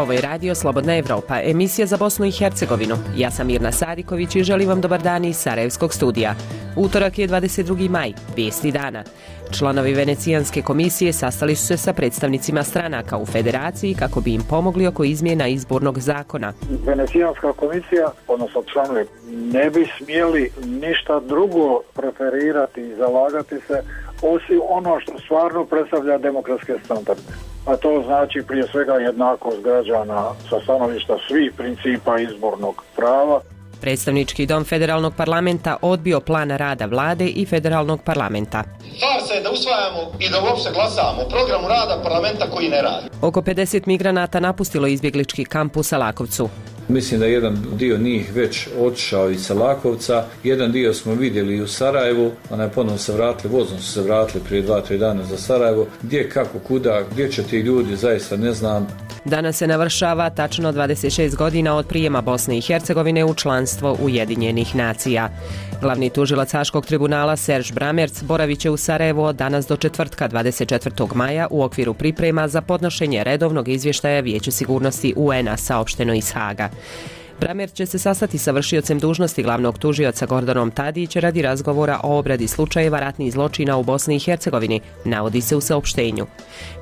Ovo je radio Slobodna Evropa, emisija za Bosnu i Hercegovinu. Ja sam Mirna Sadiković i želim vam dobar dan iz Sarajevskog studija. Utorak je 22. maj, vijesti dana. Članovi Venecijanske komisije sastali su se sa predstavnicima stranaka u federaciji kako bi im pomogli oko izmjena izbornog zakona. Venecijanska komisija, odnosno članovi, ne bi smjeli ništa drugo preferirati i zalagati se osim ono što stvarno predstavlja demokratske standarde. A to znači prije svega jednakost građana sa stanovišta svih principa izbornog prava. Predstavnički dom federalnog parlamenta odbio plan rada vlade i federalnog parlamenta. Farsa je da usvajamo i da uopšte glasamo o programu rada parlamenta koji ne radi. Oko 50 migranata napustilo izbjeglički kamp u Salakovcu. Mislim da jedan dio njih već otišao iz Salakovca, jedan dio smo vidjeli i u Sarajevu, ponovno se vratili, vozom su se vratili prije 2-3 dana za Sarajevo. Gdje, kako, kuda, gdje će ti ljudi, zaista ne znam. Danas se navršava tačno 26 godina od prijema Bosne i Hercegovine u članstvo Ujedinjenih nacija. Glavni tužilac Haškog tribunala Serž Bramerc boravit će u Sarajevu od danas do četvrtka 24. maja u okviru priprema za podnošenje redovnog izvještaja Vijeću sigurnosti UN-a, saopšteno iz Haga. Bramerc će se sastati sa vršiocem dužnosti glavnog tužioca Gordanom Tadić radi razgovora o obradi slučajeva ratnih zločina u Bosni i Hercegovini, navodi se u saopštenju.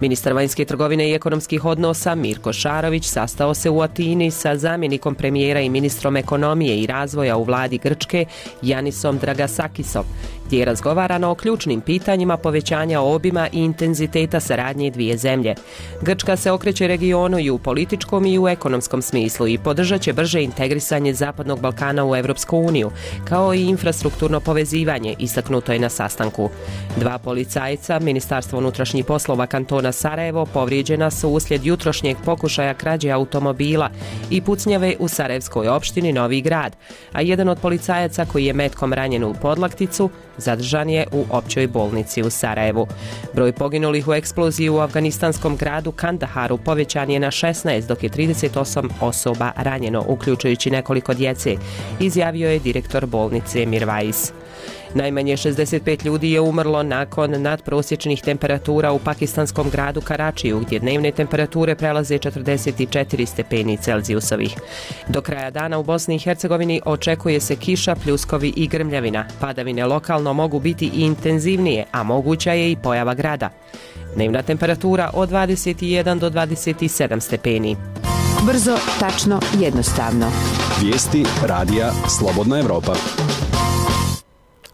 Ministar vanjske trgovine i ekonomskih odnosa Mirko Šarović sastao se u Atini sa zamjenikom premijera i ministrom ekonomije i razvoja u vladi Grčke Janisom Dragasakisom, gdje je razgovarano o ključnim pitanjima povećanja obima i intenziteta saradnje dvije zemlje. Grčka se okreće regionu i u političkom i u ekonomskom smislu i podržat će brže integrisanje Zapadnog Balkana u Europsku uniju, kao i infrastrukturno povezivanje, istaknuto je na sastanku. 2 policajca Ministarstva unutrašnjih poslova kantona Sarajevo povrijeđena su uslijed jutrošnjeg pokušaja krađe automobila i pucnjave u sarajevskoj opštini Novi Grad, a jedan od policajaca koji je metkom ranjen u podlakticu zadržan je u općoj bolnici u Sarajevu. Broj poginulih u eksploziji u afganistanskom gradu Kandaharu povećan je na 16, dok je 38 osoba ranjeno, uključujući nekoliko djece, izjavio je direktor bolnice Mirvais. Najmanje 65 ljudi je umrlo nakon nadprosječnih temperatura u pakistanskom gradu Karačiju, gdje dnevne temperature prelaze 44 stepeni Celzijusovih. Do kraja dana u Bosni i Hercegovini očekuje se kiša, pljuskovi i grmljavina. Padavine lokalno mogu biti i intenzivnije, a moguća je i pojava grada. Dnevna temperatura od 21 do 27 stepeni. Brzo, tačno, jednostavno. Vijesti radija Slobodna Evropa.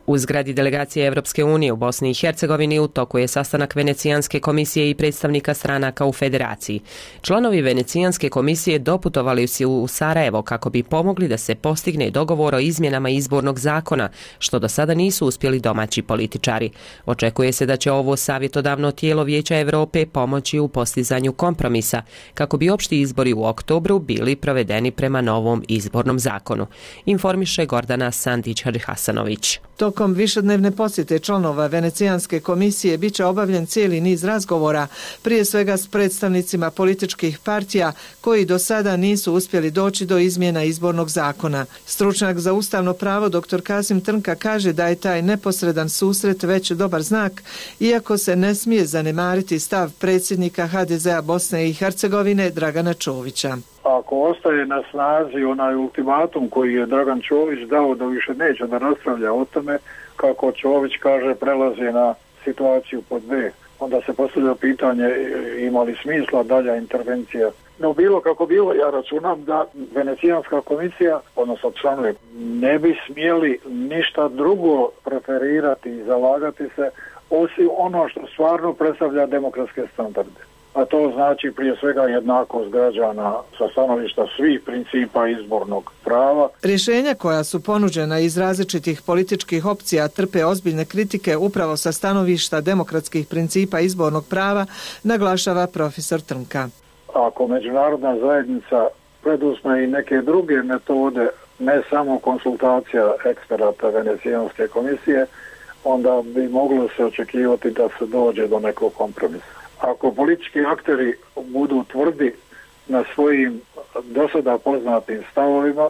U zgradi delegacije Evropske unije u Bosni i Hercegovini u toku je sastanak Venecijanske komisije i predstavnika stranaka u federaciji. Članovi Venecijanske komisije doputovali su u Sarajevo kako bi pomogli da se postigne dogovor o izmjenama izbornog zakona, što do sada nisu uspjeli domaći političari. Očekuje se da će ovo savjetodavno tijelo Vijeća Europe pomoći u postizanju kompromisa, kako bi opšti izbori u oktobru bili provedeni prema novom izbornom zakonu, informiše Gordana Sandić-Hasanović. Tokom višednevne posjete članova Venecijanske komisije bit će obavljen cijeli niz razgovora, prije svega s predstavnicima političkih partija koji do sada nisu uspjeli doći do izmjena izbornog zakona. Stručnjak za ustavno pravo dr. Kasim Trnka kaže da je taj neposredan susret već dobar znak, iako se ne smije zanemariti stav predsjednika HDZ-a Bosne i Hercegovine Dragana Čovića. Ako ostaje na snazi onaj ultimatum koji je Dragan Čović dao da više neće da raspravlja o tome, kako Čović kaže, prelazi na situaciju pod B, onda se postavlja pitanje ima li smisla dalja intervencija. No bilo kako bilo, ja računam da Venecijanska komisija, odnosno članovi, ne bi smjeli ništa drugo preferirati i zalagati se osim ono što stvarno predstavlja demokratske standarde. A to znači prije svega jednakost građana sa stanovišta svih principa izbornog prava. Rješenja koja su ponuđena iz različitih političkih opcija trpe ozbiljne kritike upravo sa stanovišta demokratskih principa izbornog prava, naglašava profesor Trnka. Ako međunarodna zajednica preduzme i neke druge metode, ne samo konsultacija eksperata Venecijanske komisije, onda bi moglo se očekivati da se dođe do nekog kompromisa. Ako politički akteri budu tvrdi na svojim dosada poznatim stavovima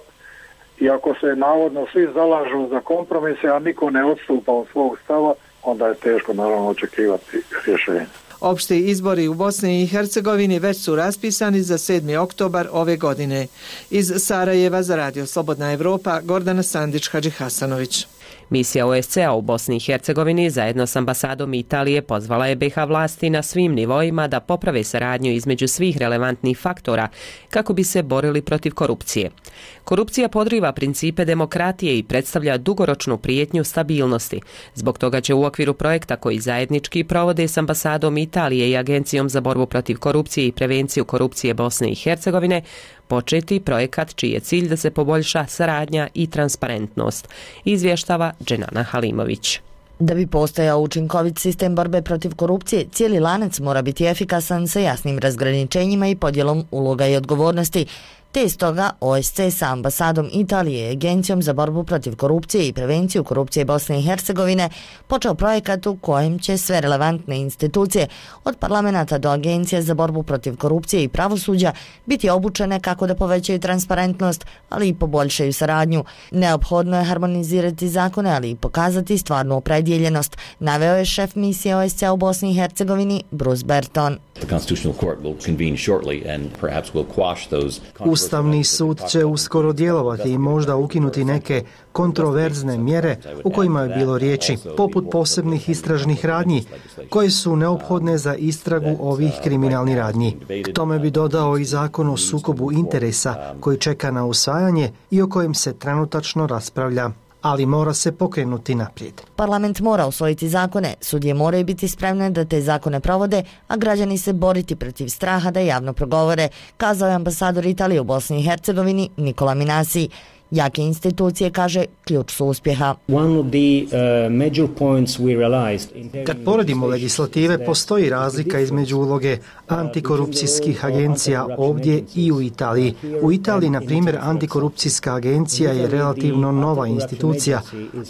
i ako se navodno svi zalažu za kompromise, a niko ne odstupa od svog stava, onda je teško naravno očekivati rješenje. Opšti izbori u Bosni i Hercegovini već su raspisani za 7. oktobar ove godine. Iz Sarajeva za Radio Slobodna Evropa, Gordana Sandić-Hadžihasanović. Misija OSCE-a u Bosni i Hercegovini zajedno s ambasadom Italije pozvala je BiH vlasti na svim nivoima da poprave saradnju između svih relevantnih faktora kako bi se borili protiv korupcije. Korupcija podriva principe demokratije i predstavlja dugoročnu prijetnju stabilnosti. Zbog toga će u okviru projekta koji zajednički provode s ambasadom Italije i Agencijom za borbu protiv korupcije i prevenciju korupcije Bosne i Hercegovine početi projekat čiji je cilj da se poboljša saradnja i transparentnost, izvještava Dženana Halimović. Da bi postojao učinkovit sistem borbe protiv korupcije, cijeli lanac mora biti efikasan sa jasnim razgraničenjima i podjelom uloga i odgovornosti. Te stoga OSCE sa ambasadom Italije i Agencijom za borbu protiv korupcije i prevenciju korupcije Bosne i Hercegovine počeo projekat u kojem će sve relevantne institucije, od parlamenta do Agencije za borbu protiv korupcije i pravosuđa, biti obučene kako da povećaju transparentnost, ali i poboljšaju saradnju. Neophodno je harmonizirati zakone, ali i pokazati stvarnu opredjeljenost, naveo je šef misije OSCE u Bosni i Hercegovini Bruce Berton. Ustavni sud će uskoro djelovati i možda ukinuti neke kontroverzne mjere u kojima je bilo riječi, poput posebnih istražnih radnji, koje su neophodne za istragu ovih kriminalnih radnji. K tome bi dodao i zakon o sukobu interesa koji čeka na usvajanje i o kojem se trenutačno raspravlja, ali mora se pokrenuti naprijed. Parlament mora usvojiti zakone, sudije moraju biti spremne da te zakone provode, a građani se boriti protiv straha da javno progovore, kazao je ambasador Italije u Bosni i Hercegovini Nikola Minasi. Jake institucije, kaže, ključ su uspjeha. Kad poredimo legislative, postoji razlika između uloge antikorupcijskih agencija ovdje i u Italiji. U Italiji, na primjer, antikorupcijska agencija je relativno nova institucija,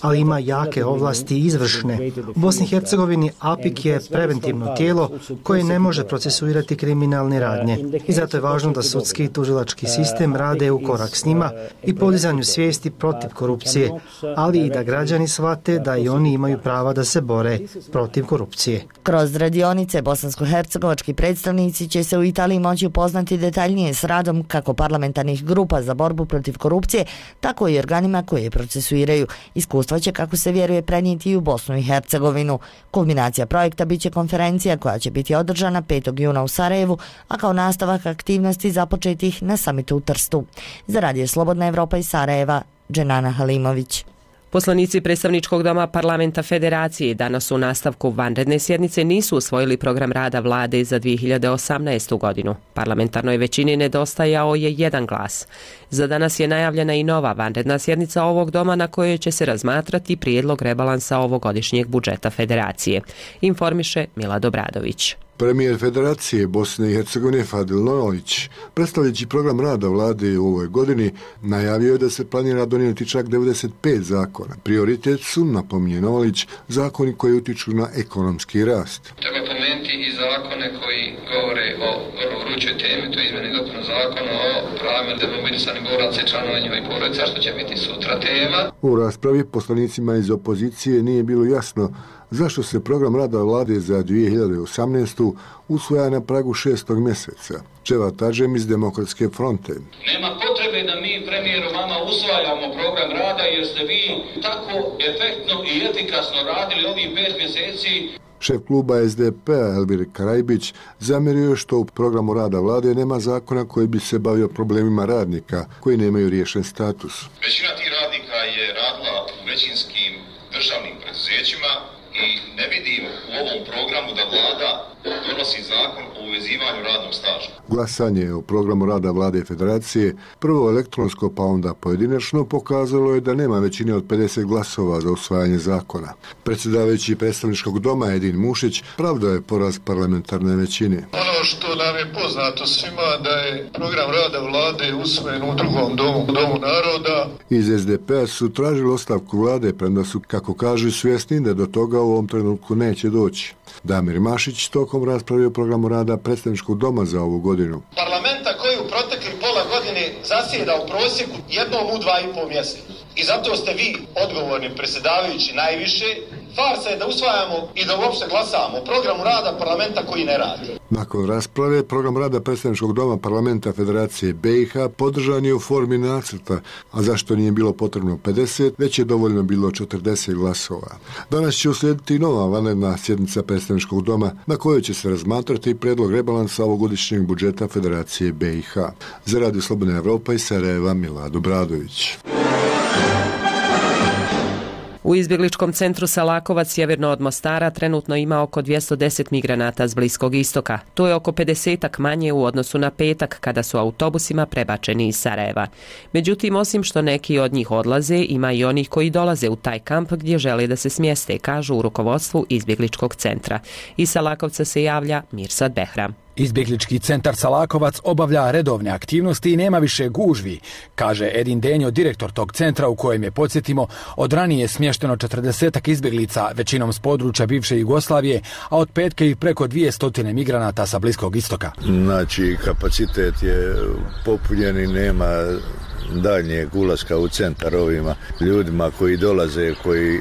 ali ima jake ovlasti izvršne. U Bosni i Hercegovini APIK je preventivno tijelo koje ne može procesuirati kriminalne radnje. I zato je važno da sudski i tužilački sistem rade u korak s njima i podizanju svijesti protiv korupcije, ali i da građani shvate da i oni imaju prava da se bore protiv korupcije. Kroz radionice bosansko-hercegovački predstavnici će se u Italiji moći upoznati detaljnije s radom kako parlamentarnih grupa za borbu protiv korupcije, tako i organima koje je procesuiraju. Iskustva će, kako se vjeruje, prenijeti i u Bosnu i Hercegovinu. Kulminacija projekta biće konferencija koja će biti održana 5. juna u Sarajevu, a kao nastavak aktivnosti započetih na samitu u Trstu. Za Radio Slobodna Evropa iz Sarajeva, Dženana Halimović. Poslanici predstavničkog doma parlamenta Federacije danas u nastavku vanredne sjednice nisu usvojili program rada vlade za 2018. godinu. Parlamentarnoj većini nedostajao je jedan glas. Za danas je najavljena i nova vanredna sjednica ovog doma na kojoj će se razmatrati prijedlog rebalansa ovogodišnjeg budžeta Federacije, informiše Milad Obradović. Premijer Federacije Bosne i Hercegovine Fadil Nojović, predstavljajući program rada vlade u ovoj godini, najavio je da se planira donijeti čak 95 zakona. Prioritet su, napominje Nojović, zakoni koji utiču na ekonomski rast. Treba pomenuti i zakone koji govore o vrlo vrućoj temi, to je izmjene i dopuna zakona o pravima demobilisanih boraca i članova njihovih porodica, što će biti sutra tema. U raspravi poslanicima iz opozicije nije bilo jasno zašto se program rada vlade za 2018. usvaja na pragu 6. mjeseca. Dževat Adžem iz Demokratske fronte. Nema potrebe da mi, premijeru, vama usvajamo program rada jer ste vi tako efektno i efikasno radili ovih 5 mjeseci. Šef kluba SDP-a Elvir Karajbić zamjerio je što u programu rada vlade nema zakona koji bi se bavio problemima radnika koji nemaju riješen status. Većina tih radnika je radila u većinskim državnim preduzećima i ne vidim u ovom programu da vlada donosi zakon o uvezivanju radnog staža. Glasanje o programu rada vlade Federacije, prvo elektronsko pa onda pojedinačno, pokazalo je da nema većine od 50 glasova za usvajanje zakona. Predsjedavajući predstavničkog doma Edin Mušić pravdao je poraz parlamentarne većine. Ono što nam je poznato svima da je program rada vlade usvojen u drugom domu naroda. Iz SDP-a su tražili ostavku vlade, premda su, kako kažu, svjesni da do toga u ovom trenutku neće doći. Damir Mašić tokom raspravio o programu rada predstavničkog doma za ovu godinu. Parlamenta koji u protekli pola godine zasjeda u prosjeku jednom u 2,5 mjeseca. I zato ste vi odgovorni, predsjedavajući, najviše, Farsa je da usvajamo i da uopšte glasamo o programu rada parlamenta koji ne radi. Nakon rasprave, program rada predstavničkog doma parlamenta Federacije BiH podržan je u formi nacrta, a zašto nije bilo potrebno 50, već je dovoljno bilo 40 glasova. Danas će uslijediti nova vanredna sjednica predstavničkog doma na kojoj će se razmatrati predlog rebalansa ovogodišnjeg budžeta Federacije BiH. Za Radio Slobodna Evropa iz Sarajeva, Milad Obradović. U izbjegličkom centru Salakovac sjeverno od Mostara trenutno ima oko 210 migranata s Bliskog istoka. To je oko 50-ak manje u odnosu na petak kada su autobusima prebačeni iz Sarajeva. Međutim, osim što neki od njih odlaze, ima i onih koji dolaze u taj kamp gdje žele da se smjeste, kažu u rukovodstvu izbjegličkog centra. Iz Salakovca se javlja Mirsad Behram. Izbjeglički centar Salakovac obavlja redovne aktivnosti i nema više gužvi, kaže Edin Denjo, direktor tog centra u kojem je, podsjetimo, od ranije smješteno 40 izbjeglica, većinom s područja bivše Jugoslavije, a od petka i preko 200 migranata sa Bliskog istoka. Znači, kapacitet je popunjen i nema daljnjeg ulaska u centar ovima ljudima koji dolaze, koji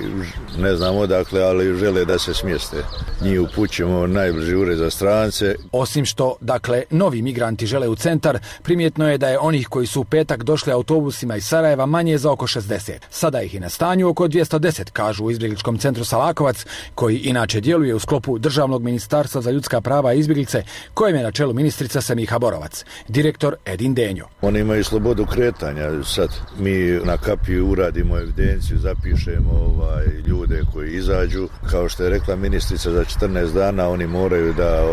ne znam odakle, ali žele da se smjeste. Njih upućujemo u najbliži ured za strance. Osim što, dakle, novi migranti žele u centar, primjetno je da je onih koji su u petak došli autobusima iz Sarajeva manje za oko 60. Sada ih je na stanju oko 210, kažu u izbjegličkom centru Salakovac, koji inače djeluje u sklopu Državnog ministarstva za ljudska prava i izbjeglice, kojem je na čelu ministrica Semiha Borovac. Direktor Edin Denjo. Oni imaju slobodu kretanja. Sad mi na kapiju uradimo evidenciju, zapišemo ljude koji izađu. Kao što je rekla ministrica, za 14 dana oni moraju da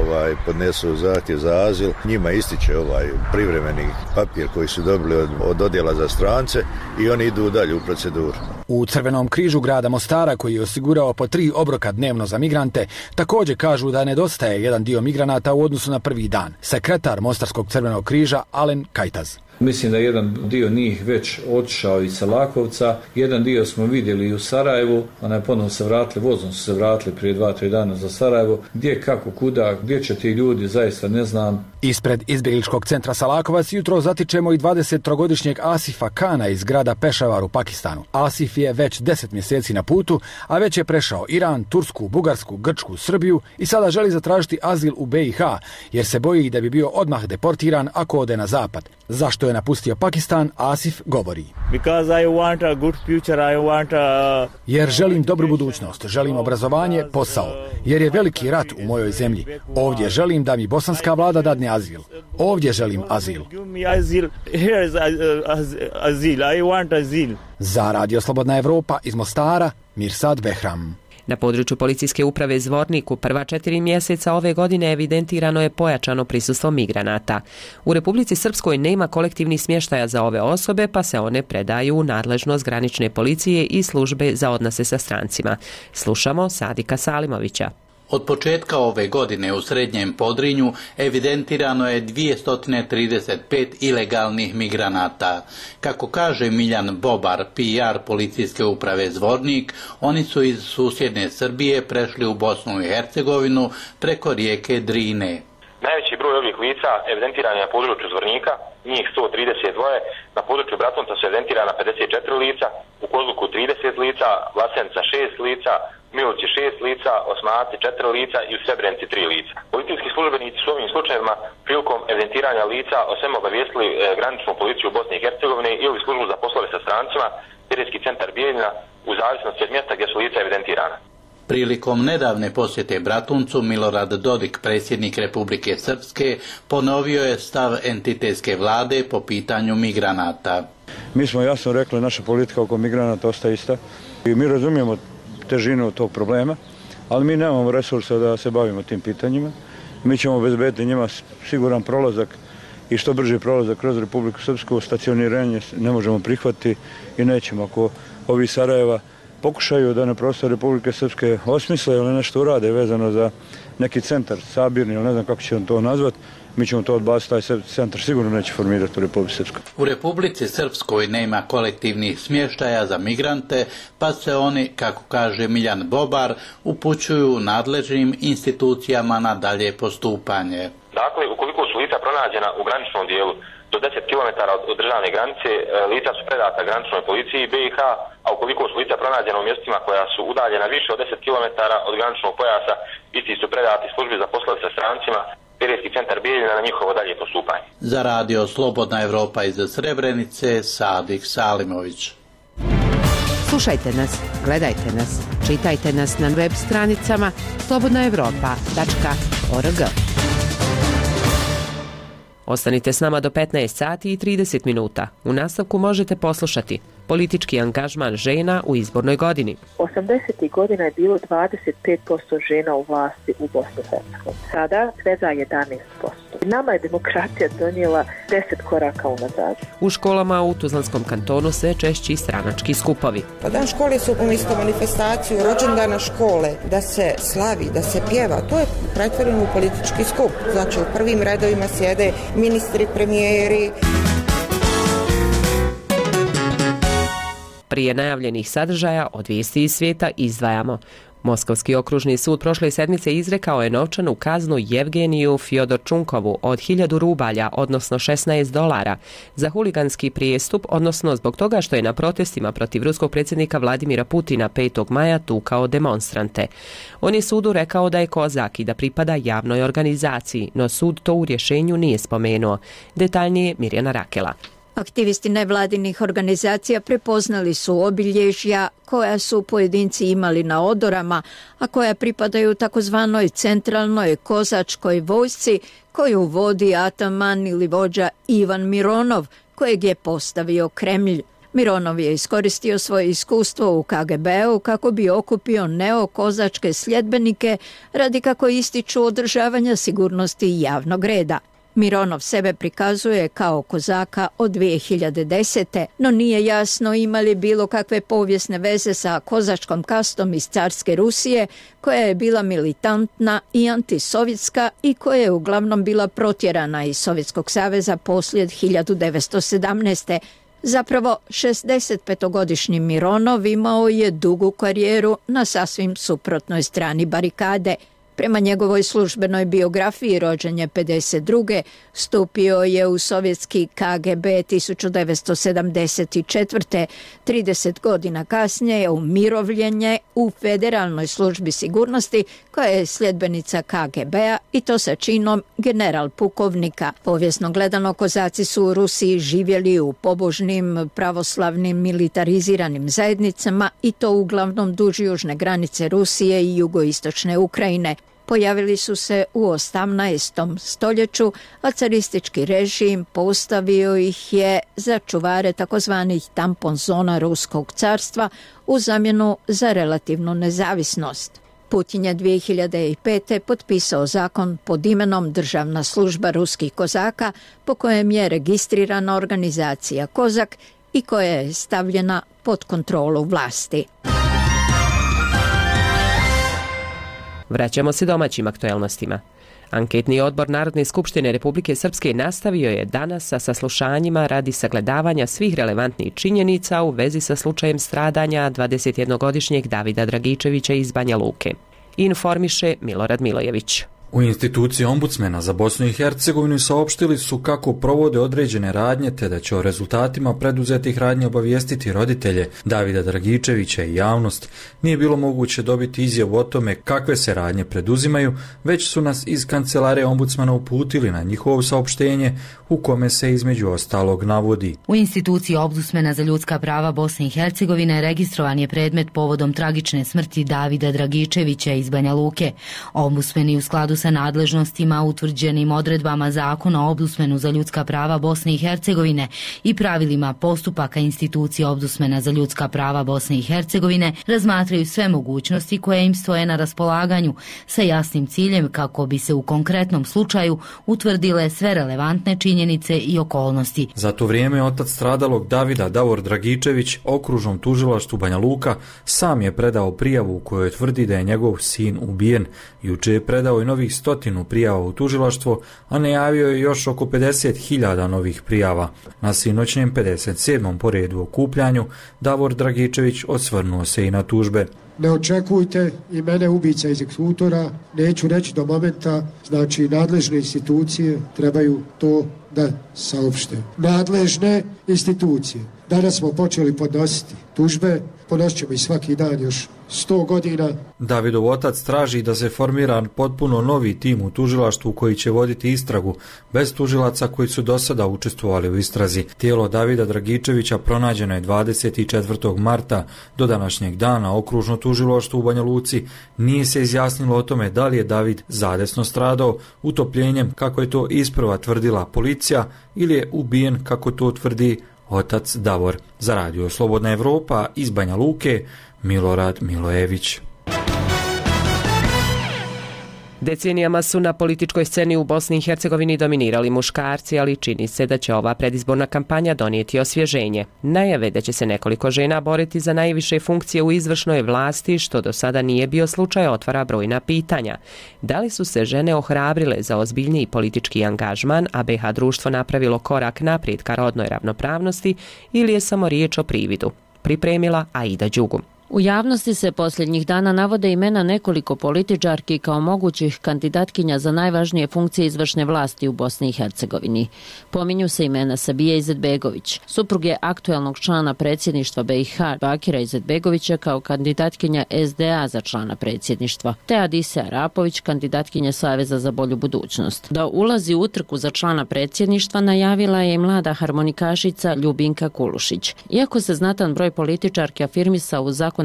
podnesu zahtjev za azil. Njima ističe privremeni papir koji su dobili od odjela za strance i oni idu dalje u proceduru. U Crvenom križu grada Mostara, koji je osigurao po 3 obroka dnevno za migrante, također kažu da nedostaje jedan dio migranata u odnosu na prvi dan. Sekretar Mostarskog Crvenog križa Alen Kajtaz. Mislim da jedan dio njih već otišao iz Salakovca, jedan dio smo vidjeli i u Sarajevu, ponovno se vratili, vozom su se vratili prije 2-3 dana za Sarajevo. Gdje, kako, kuda, gdje će ti ljudi, zaista ne znam. Ispred izbjegličkog centra Salakovac jutro zatičemo i 23-godišnjeg Asifa Kana iz grada Pešavar u Pakistanu. Asif je već 10 mjeseci na putu, a već je prešao Iran, Tursku, Bugarsku, Grčku, Srbiju i sada želi zatražiti azil u BiH, jer se boji da bi bio odmah deportiran ako ode na zapad. Zašto je napustio Pakistan, Asif govori. Jer želim dobru budućnost, želim obrazovanje, posao. Jer je veliki rat u mojoj zemlji. Ovdje želim da mi bosanska vlada dadne azil. Ovdje želim azil. Za Radio Slobodna Evropa iz Mostara, Mirsad Behram. Na području policijske uprave Zvornik u prva 4 mjeseca ove godine evidentirano je pojačano prisustvo migranata. U Republici Srpskoj nema kolektivnih smještaja za ove osobe, pa se one predaju u nadležnost granične policije i službe za odnose sa strancima. Slušamo Sadika Salimovića. Od početka ove godine u Srednjem Podrinju evidentirano je 235 ilegalnih migranata. Kako kaže Miljan Bobar, PR policijske uprave Zvornik, oni su iz susjedne Srbije prešli u Bosnu i Hercegovinu preko rijeke Drine. Najveći broj ovih lica evidentiran je na području Zvornika, njih 132, na području Bratunca su evidentirana 54 lica, u Kozluku 30 lica, Vlasenica 6 lica, Miloći 6 lica, Osmaci 4 lica i u Srebrenici 3 lica. Policijski službenici su ovim slučajevima prilikom evidentiranja lica o svemu obavijestili graničnu policiju Bosne i Hercegovine ili službu za poslove sa strancima, terenski centar Bijeljina, u zavisnosti od mjesta gdje su lica evidentirana. Prilikom nedavne posjete Bratuncu, Milorad Dodik, predsjednik Republike Srpske, ponovio je stav entitetske vlade po pitanju migranata. Mi smo jasno rekli, naša politika oko migranata ostaje ista i mi razumijemo težinu tog problema, ali mi nemamo resursa da se bavimo tim pitanjima. Mi ćemo obezbediti njima siguran prolazak i što brži prolazak kroz Republiku Srpsku. Stacioniranje ne možemo prihvatiti i nećemo. Ako ovi Sarajeva pokušaju da na prostoru Republike Srpske osmisle ili nešto urade vezano za neki centar sabirni ili ne znam kako ćemo to nazvati, mi ćemo to odbaciti, taj centar sigurno neće formirati u Republici Srpskoj. U Republici Srpskoj nema kolektivnih smještaja za migrante, pa se oni, kako kaže Miljan Bobar, upućuju nadležnim institucijama na dalje postupanje. Dakle, ukoliko su lica pronađena u graničnom dijelu do 10 km od državne granice lica su predata graničnoj policiji BiH, a ukoliko su lica pronađena u mjestima koja su udaljena više od 10 km od graničnog pojasa, isti su predati službi za poslove sa strancima, Pirijski centar Bijeljina na njihovo dalje postupanje. Za radio Slobodna Evropa iz Srebrenice, Sadik Salimović. Slušajte nas, gledajte nas, čitajte nas na web stranicama slobodnaevropa.org. Ostanite s nama do 15 sati i 30 minuta. U nastavku možete poslušati politički angažman žena u izbornoj godini. 80. godina je bilo 25% žena u vlasti u Bosni i Hercegovini. Sada svega 11%. Nama je demokracija donijela 10 koraka unazad. U školama u Tuzlanskom kantonu sve češći stranački skupovi. Pa dan škole su umjesto manifestaciju rođendana škole, da se slavi, da se pjeva. To je pretvoreno u politički skup. Znači u prvim redovima sjede ministri, premijeri. Prije najavljenih sadržaja od vijesti iz svijeta izdvajamo. Moskovski okružni sud prošle sedmice izrekao je novčanu kaznu Jevgeniju Fjodorčunkovu od 1000 rubalja, odnosno $16, za huliganski prijestup, odnosno zbog toga što je na protestima protiv ruskog predsjednika Vladimira Putina 5. maja tukao demonstrante. On je sudu rekao da je kozak i da pripada javnoj organizaciji, no sud to u rješenju nije spomenuo. Detaljnije Mirjana Rakela. Aktivisti nevladinih organizacija prepoznali su obilježja koja su pojedinci imali na odorama, a koja pripadaju takozvanoj centralnoj kozačkoj vojsci koju vodi ataman ili vođa Ivan Mironov, kojeg je postavio Kremlj. Mironov je iskoristio svoje iskustvo u KGB-u kako bi okupio neokozačke sljedbenike radi, kako ističu, održavanja sigurnosti i javnog reda. Mironov sebe prikazuje kao kozaka od 2010. no nije jasno ima li bilo kakve povijesne veze sa kozačkom kastom iz carske Rusije, koja je bila militantna i antisovjetska i koja je uglavnom bila protjerana iz Sovjetskog saveza poslije 1917. Zapravo, 65-godišnji Mironov imao je dugu karijeru na sasvim suprotnoj strani barikade. Prema njegovoj službenoj biografiji rođen je 52. Stupio je u sovjetski KGB 1974. 30 godina kasnije je umirovljen u Federalnoj službi sigurnosti koja je sljedbenica KGB-a i to sa činom general pukovnika. Povijesno gledano, kozaci su u Rusiji živjeli u pobožnim, pravoslavnim, militariziranim zajednicama i to uglavnom duž južne granice Rusije i jugoistočne Ukrajine. Pojavili su se u 18. stoljeću, a caristički režim postavio ih je za čuvare takozvanih tampon zona Ruskog carstva u zamjenu za relativnu nezavisnost. Putin je 2005. potpisao zakon pod imenom Državna služba ruskih kozaka, po kojem je registrirana organizacija Kozak i koja je stavljena pod kontrolu vlasti. Vraćamo se domaćim aktuelnostima. Anketni odbor Narodne skupštine Republike Srpske nastavio je danas sa saslušanjima radi sagledavanja svih relevantnih činjenica u vezi sa slučajem stradanja 21-godišnjeg Davida Dragičevića iz Banja Luke. Informiše Milorad Milojević. U instituciji ombudsmena za Bosnu i Hercegovinu saopštili su kako provode određene radnje te da će o rezultatima preduzetih radnji obavijestiti roditelje Davida Dragičevića i javnost. Nije bilo moguće dobiti izjavu o tome kakve se radnje preduzimaju, već su nas iz kancelarije ombudsmana uputili na njihovo saopštenje u kome se između ostalog navodi. U instituciji ombudsmena za ljudska prava Bosne i Hercegovine registrovan je predmet povodom tragične smrti Davida Dragičevića iz Banja Luke. Ombudsmeni u skladu sa nadležnostima utvrđenim odredbama Zakona o ombudsmenu za ljudska prava Bosne i Hercegovine i pravilima postupaka institucije ombudsmena za ljudska prava Bosne i Hercegovine razmatraju sve mogućnosti koje im stoje na raspolaganju sa jasnim ciljem kako bi se u konkretnom slučaju utvrdile sve relevantne činjenice i okolnosti. Za to vrijeme otac stradalog Davida, Davor Dragičević, okružnom tužilaštvu Banja Luka, sam je predao prijavu u kojoj tvrdi da je njegov sin ubijen. Juče je predao i novih 100 prijava u tužilaštvo, a najavio je još oko 50.000 novih prijava. Na sinoćnjem 57. po redu okupljanju Davor Dragičević osvrnuo se i na tužbe. Ne očekujte i mene ubica egzekutora, neću reći do momenta, znači nadležne institucije trebaju to da saopšte. Nadležne institucije. Danas smo počeli podnositi tužbe, podnosit ćemo i svaki dan još 100 godina. Davidov otac traži da se formira potpuno novi tim u tužilaštvu koji će voditi istragu, bez tužilaca koji su do sada učestvovali u istrazi. Tijelo Davida Dragičevića pronađeno je 24. marta. Do današnjeg dana okružno tužilaštvo u Banja Luci nije se izjasnilo o tome da li je David zadesno stradao utopljenjem, kako je to isprva tvrdila policija, ili je ubijen, kako to tvrdi otac Davor. Za radio Slobodna Evropa iz Banja Luke, Milorad Milojević. Decenijama su na političkoj sceni u Bosni i Hercegovini dominirali muškarci, ali čini se da će ova predizborna kampanja donijeti osvježenje. Najave da će se nekoliko žena boriti za najviše funkcije u izvršnoj vlasti, što do sada nije bio slučaj, otvara brojna pitanja. Da li su se žene ohrabrile za ozbiljniji politički angažman, a BiH društvo napravilo korak naprijed ka rodnoj ravnopravnosti, ili je samo riječ o prividu? Pripremila Aida Đugum. U javnosti se posljednjih dana navode imena nekoliko političarki kao mogućih kandidatkinja za najvažnije funkcije izvršne vlasti u Bosni i Hercegovini. Pominju se imena Sabije Izetbegović, supruge aktuelnog člana predsjedništva BiH Bakira Izetbegovića kao kandidatkinja SDA za člana predsjedništva, te Adise Arapović, kandidatkinja Saveza za bolju budućnost. Da ulazi u utrku za člana predsjedništva najavila je i mlada harmonikašica Ljubinka Kulušić. Iako se znatan broj političarki afirmisao u zakonodavnoj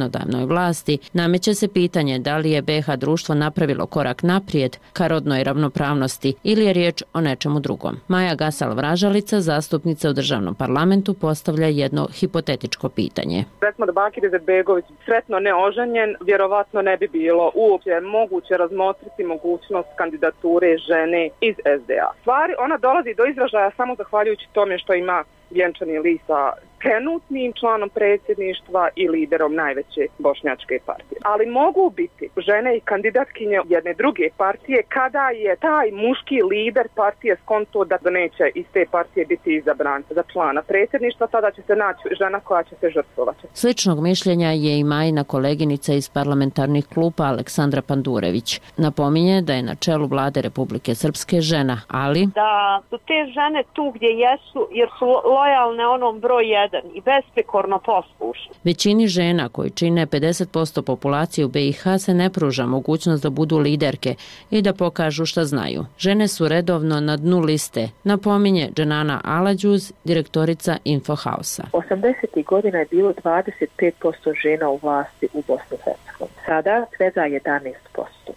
vlasti, nameće se pitanje da li je BiH društvo napravilo korak naprijed ka rodnoj ravnopravnosti ili je riječ o nečemu drugom. Maja Gasal-Vražalica, zastupnica u državnom parlamentu, postavlja jedno hipotetičko pitanje. Recimo da Bakir Izetbegović sretno neoženjen, vjerovatno ne bi bilo uopće moguće razmotriti mogućnost kandidature žene iz SDA. Stvari, ona dolazi do izražaja samo zahvaljujući tome što ima vjenčani list sa trenutnim članom predsjedništva i liderom najveće bošnjačke partije. Ali mogu biti žene i kandidatkinje jedne druge partije kada je taj muški lider partije skonto da neće iz te partije biti izabran za člana predsjedništva, tada će se naći žena koja će se žrtvovati. Sličnog mišljenja je i Majina koleginica iz parlamentarnih klupa Aleksandra Pandurević. Napominje da je na čelu vlade Republike Srpske žena, ali da su te žene tu gdje jesu jer su lojalne onom broj 1 i besprekorno poslušne. Većini žena koji čine 50% populacije u BiH se ne pruža mogućnost da budu liderke i da pokažu šta znaju. Žene su redovno na dnu liste, napominje Dženana Alađuz, direktorica Infohausa. 80. godina je bilo 25% žena u vlasti u Bosni i Hercegovini. Sada svega 11%.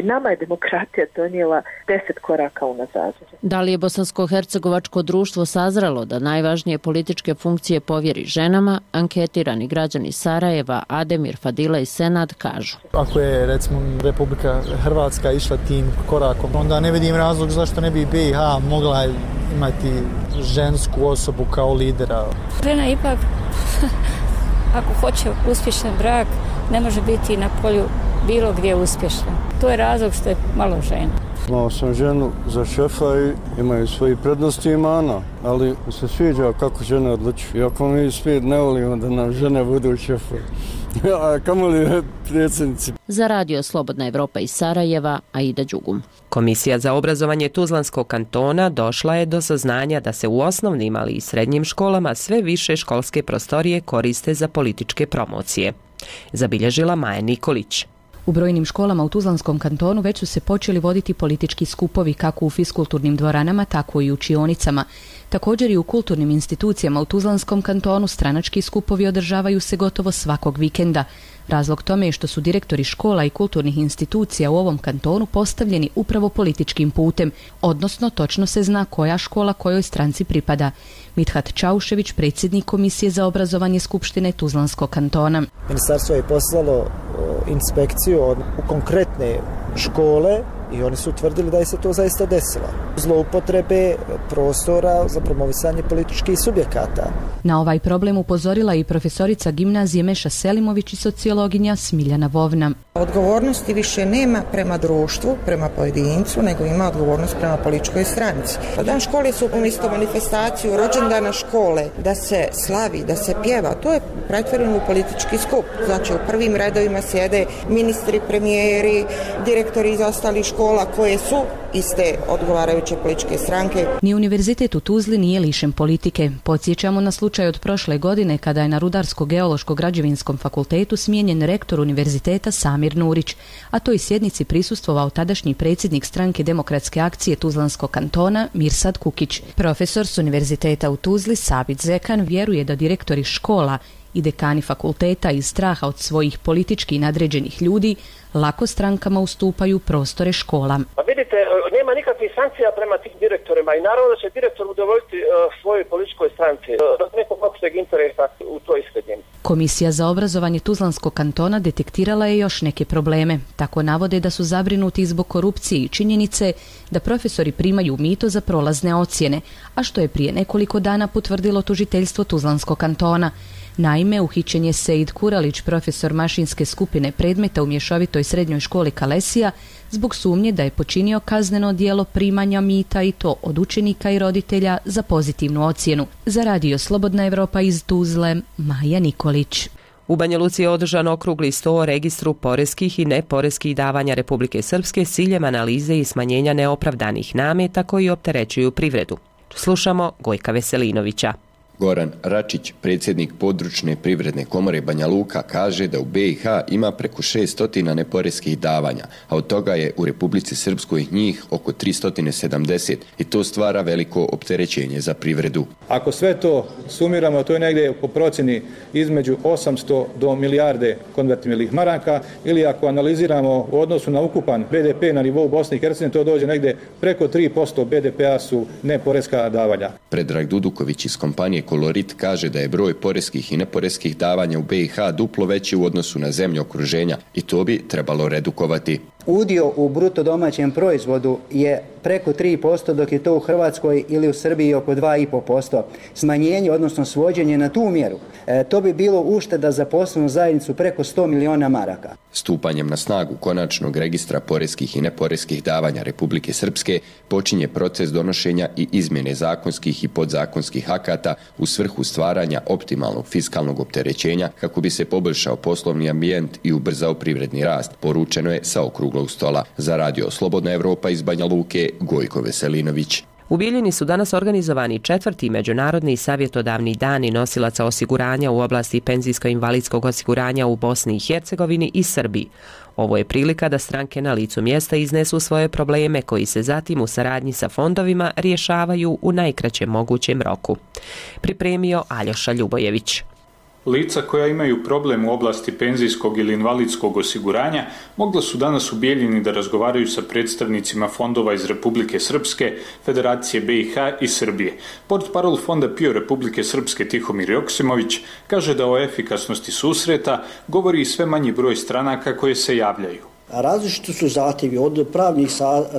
Nama je demokratija donijela 10 koraka unazad. Da li je bosansko-hercegovačko društvo sazrelo da najvažnije političke funkcije povjeri ženama? Anketirani građani Sarajeva, Ademir, Fadila i Senad kažu. Ako je, recimo, Republika Hrvatska išla tim korakom, onda ne vidim razlog zašto ne bi BiH mogla imati žensku osobu kao lidera. Žena ipak, ako hoće uspješan brak, ne može biti na polju bilo gdje uspješna. To je razlog što je malo žena. Imao sam ženu za šefa i imaju svoji prednosti i mana, ali se sviđa kako žene odlučuju. Iako mi svi ne volimo da nam žene budu šefovi. A kamoli predsjednici. Za radio Slobodna Evropa iz Sarajeva, Aida Đugum. Komisija za obrazovanje Tuzlanskog kantona došla je do saznanja da se u osnovnim, ali i srednjim školama sve više školske prostorije koriste za političke promocije. Zabilježila Maja Nikolić. U brojnim školama u Tuzlanskom kantonu već su se počeli voditi politički skupovi kako u fiskulturnim dvoranama, tako i u učionicama. Također i u kulturnim institucijama u Tuzlanskom kantonu stranački skupovi održavaju se gotovo svakog vikenda. Razlog tome je što su direktori škola i kulturnih institucija u ovom kantonu postavljeni upravo političkim putem, odnosno točno se zna koja škola kojoj stranci pripada. Mithat Čaušević, predsjednik Komisije za obrazovanje Skupštine Tuzlanskog kantona. Ministarstvo je poslalo inspekciju u konkretne škole i oni su utvrdili da je se to zaista desilo. Zloupotrebe prostora za promovisanje političkih subjekata. Na ovaj problem upozorila i profesorica gimnazije Meša Selimović i sociologinja Smiljana Vovna. Odgovornosti više nema prema društvu, prema pojedincu, nego ima odgovornost prema političkoj stranici. Dan škole su umjesto manifestaciju rođendana škole da se slavi, da se pjeva. To je pretvoreno u politički skup. Znači u prvim redovima sjede ministri, premijeri, direktori iz ostalih škola koje su iste odgovarajuće vodeće političke stranke. Ni univerzitet u Tuzli nije lišen politike. Podsjećamo na slučaj od prošle godine kada je na Rudarsko-geološko-građevinskom fakultetu smijenjen rektor univerziteta Samir Nurić, a toj sjednici prisustvovao tadašnji predsjednik stranke Demokratske akcije Tuzlanskog kantona Mirsad Kukić. Profesor s univerziteta u Tuzli Sabit Zekan vjeruje da direktori škola i dekani fakulteta iz straha od svojih politički nadređenih ljudi lako strankama ustupaju prostore škola. Pa vidite, nema nikakvih sankcija prema tim direktorima i naravno da će direktor udovoljiti svojoj političkoj stranci do nekog opšteg interesa u toj sredini. Komisija za obrazovanje Tuzlanskog kantona detektirala je još neke probleme. Tako navode da su zabrinuti zbog korupcije i činjenice da profesori primaju mito za prolazne ocjene, a što je prije nekoliko dana potvrdilo tužiteljstvo Tuzlanskog kantona. Naime, uhićen je Seid Kuralić, profesor mašinske skupine predmeta u mješovitoj srednjoj školi Kalesija, zbog sumnje da je počinio kazneno djelo primanja mita i to od učenika i roditelja za pozitivnu ocjenu. Za Radio Slobodna Evropa iz Tuzle, Maja Nikolić. U Banja Luci je održan okrugli sto o registru poreskih i neporeskih davanja Republike Srpske s ciljem analize i smanjenja neopravdanih nameta koji opterećuju privredu. Slušamo Gojka Veselinovića. Goran Račić, predsjednik područne privredne komore Banja Luka, kaže da u BiH ima preko 600 neporeskih davanja, a od toga je u Republici Srpskoj njih oko 370 i to stvara veliko opterećenje za privredu. Ako sve to sumiramo, to je negdje po procjeni između 800 do milijarde konvertibilnih maraka, ili ako analiziramo u odnosu na ukupan BDP na nivou Bosne i Hercegovine, to dođe negdje preko 3% BDP-a su neporeska davanja. Predrag Duduković iz kompanije Kolorit kaže da je broj poreskih i neporeskih davanja u BiH duplo veći u odnosu na zemlje okruženja i to bi trebalo redukovati. Udio u bruto domaćem proizvodu je preko 3%, dok je to u Hrvatskoj ili u Srbiji oko 2,5%. Smanjenje, odnosno svođenje na tu mjeru, to bi bilo ušteda za poslovnu zajednicu preko 100 miliona maraka. Stupanjem na snagu konačnog registra poreskih i neporeskih davanja Republike Srpske počinje proces donošenja i izmjene zakonskih i podzakonskih akata u svrhu stvaranja optimalnog fiskalnog opterećenja kako bi se poboljšao poslovni ambijent i ubrzao privredni rast, poručeno je sa okruglog stola. Za Radio Slobodna Evropa iz Banja Luke, Gojko Veselinović. U Bijeljini su danas organizovani 4. međunarodni savjetodavni dani nosilaca osiguranja u oblasti penzijsko-invalidskog osiguranja u Bosni i Hercegovini i Srbiji. Ovo je prilika da stranke na licu mjesta iznesu svoje probleme koji se zatim u saradnji sa fondovima rješavaju u najkraćem mogućem roku. Pripremio Aljoša Ljubojević. Lica koja imaju problem u oblasti penzijskog ili invalidskog osiguranja mogla su danas u Bijeljini da razgovaraju sa predstavnicima fondova iz Republike Srpske, Federacije BiH i Srbije. Portparol fonda PIO Republike Srpske Tihomir Joksimović kaže da o efikasnosti susreta govori i sve manji broj stranaka koje se javljaju. Različiti su zahtjevi od pravnih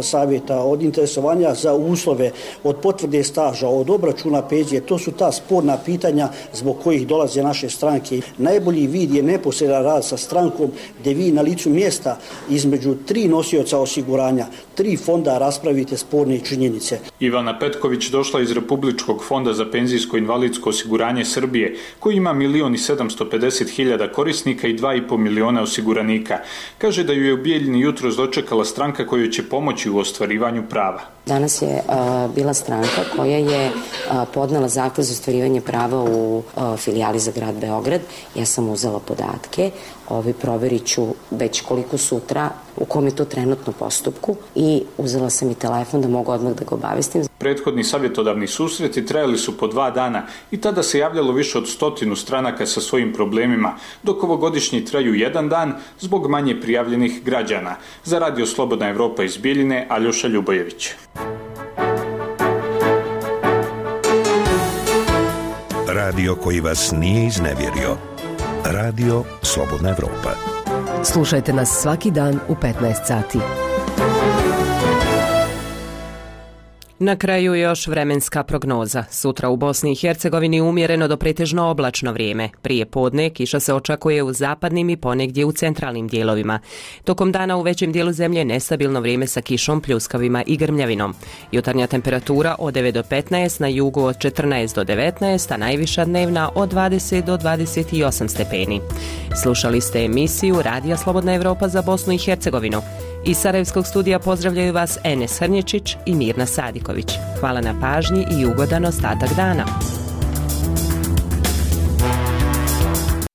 savjeta, od interesovanja za uslove, od potvrde staža, od obračuna penzije. To su ta sporna pitanja zbog kojih dolaze naše stranke. Najbolji vid je neposredan rad sa strankom gdje vi na licu mjesta između 3 nosioca osiguranja, 3 fonda raspravite sporne činjenice. Ivana Petković došla iz Republičkog fonda za penzijsko invalidsko osiguranje Srbije, koji ima 1.750.000 korisnika i 2,5 miliona osiguranika. Kaže da ju je u Bijeljini jutros dočekala stranka kojoj će pomoći u ostvarivanju prava. Danas je bila stranka koja je podnela zahtjev za ostvarivanje prava u filijali za grad Beograd. Ja sam uzela podatke, proverit ću već koliko sutra, u kom je to trenutno postupku i uzela sam i telefon da mogu odmah da ga obavestim. Prethodni savjetodavni susreti trajali su po 2 dana i tada se javljalo više od 100 stranaka sa svojim problemima, dok ovogodišnji traju 1 dan zbog manje prijavljenih građana. Za Radio Slobodna Evropa iz Bijeljine, Aljoša Ljubojević. Radio koji vas nije iznevjerio. Radio Slobodna Evropa. Slušajte nas svaki dan u 15 sati. Na kraju još vremenska prognoza. Sutra u Bosni i Hercegovini umjereno do pretežno oblačno vrijeme. Prije podne kiša se očekuje u zapadnim i ponegdje u centralnim dijelovima. Tokom dana u većem dijelu zemlje nestabilno vrijeme sa kišom, pljuskavima i grmljavinom. Jutarnja temperatura od 9 do 15, na jugu od 14 do 19, a najviša dnevna od 20 do 28 stepeni. Slušali ste emisiju Radija Slobodna Evropa za Bosnu i Hercegovinu. Iz Sarajevskog studija pozdravljaju vas Enes Hrnječić i Mirna Sadiković. Hvala na pažnji i ugodan ostatak dana.